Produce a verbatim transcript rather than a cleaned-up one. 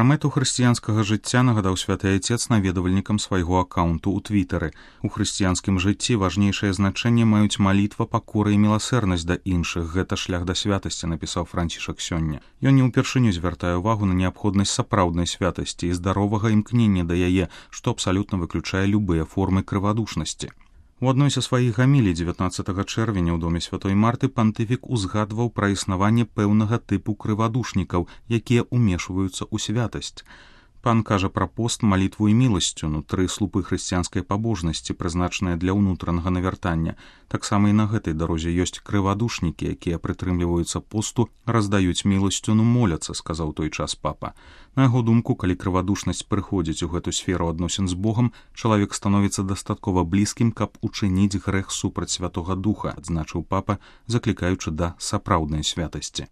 мэту хрысціянскага жыцця нагадаў святы айцец наведвальнікам свайго аккаунту ў твітары. У хрысціянскім жыцці важнейшае значэнне маюць малітва, пакора і міласэрнасць да іншых. Гэта шлях да святасці, напісаў Францішак сёння. Ён не ўпершыню звяртае ўвагу на неабходнасць сапраўднай святасці і здаровага імкнення да яе, што абсалютна выключае любыя формы крывадушнасці. У адной са сваіх гамілій дзевятнаццатага чэрвеня ў доме святой Марты пантыфік узгадваў пра існаванне пэўнага тыпу крывадушнікаў, якія ўмешваюцца ў святасць. Пан кажа пра пост, малітву і міласцю, тры слупы хрысціянскай пабожнасці, прызначаныя для ўнутранага навяртання. Таксама і на гэтай дарозе ёсць крывадушнікі, якія прытрымліваюцца посту, раздаюць міласцюну, моляцца, сказаў той час папа. На яго думку, калі крывадушнасць прыходзіць у гэту сферу адносін з Богам, чалавек становіцца дастаткова блізкім, каб учыніць грэх супраць Святога Духа, адзначыў папа, заклікаючы да сапраўднай святасці.